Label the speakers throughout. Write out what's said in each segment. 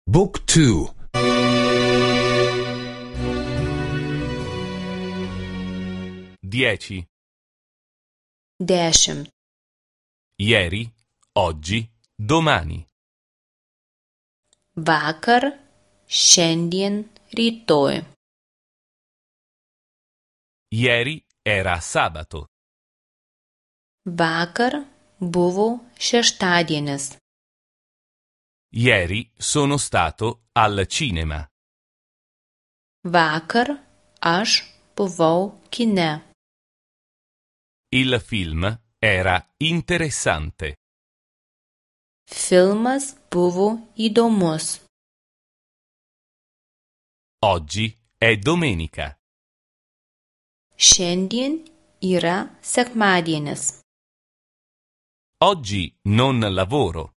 Speaker 1: Book 2.
Speaker 2: 10.
Speaker 3: 10.
Speaker 2: Ieri, oggi, domani.
Speaker 3: Vakar, šiandien, rytoj.
Speaker 2: Ieri era sabato.
Speaker 3: Vakar buvo šeštadienis.
Speaker 2: Ieri sono stato al cinema.
Speaker 3: Vakar aš buvau kine.
Speaker 2: Il film era interessante.
Speaker 3: Filmas buvo įdomus.
Speaker 2: Oggi è domenica.
Speaker 3: Šiandien yra sekmadienis.
Speaker 2: Oggi non lavoro.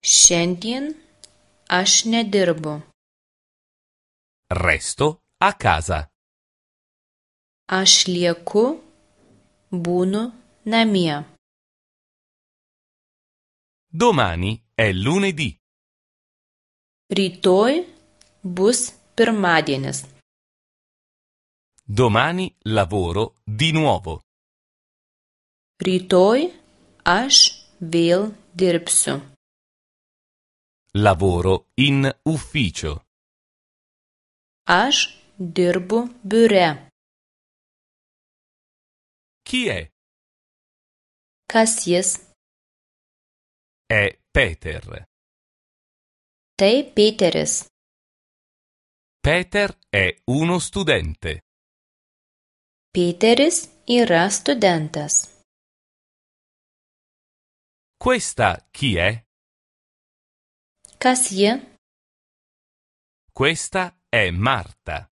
Speaker 3: Šiandien aš nedirbu.
Speaker 2: Resto a casa.
Speaker 3: Aš lieku, būnu namie.
Speaker 2: Domani è lunedì.
Speaker 3: Rytoj bus pirmadienis.
Speaker 2: Domani lavoro di nuovo.
Speaker 3: Rytoj aš vėl dirbsiu.
Speaker 2: Lavoro in ufficio.
Speaker 3: Aš dirbu biure.
Speaker 2: Chi è?
Speaker 3: Kas jis?
Speaker 2: È Peter.
Speaker 3: Tai Peteris.
Speaker 2: Peter è uno studente.
Speaker 3: Peteris yra studentas.
Speaker 2: Questa chi è?
Speaker 3: Kas ji?
Speaker 2: Questa è Marta.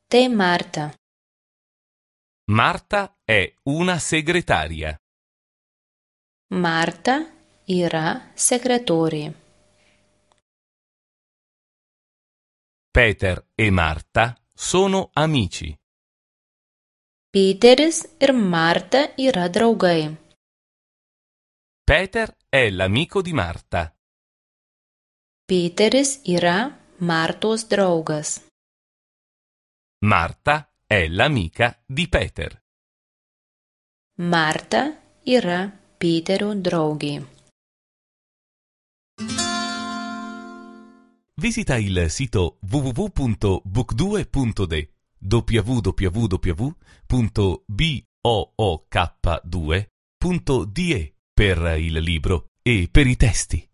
Speaker 3: Tai Marta.
Speaker 2: Marta è una segretaria.
Speaker 3: Marta yra sekretorė.
Speaker 2: Peter e Marta sono amici.
Speaker 3: Peteris ir Marta yra draugai.
Speaker 2: Peter è l'amico di Marta.
Speaker 3: Peteris yra Martos draugas.
Speaker 2: Marta è l'amica di Peter.
Speaker 3: Marta yra Peterio draugė.
Speaker 2: Visita il sito www.book2.de www.book2.de per il libro e per i testi.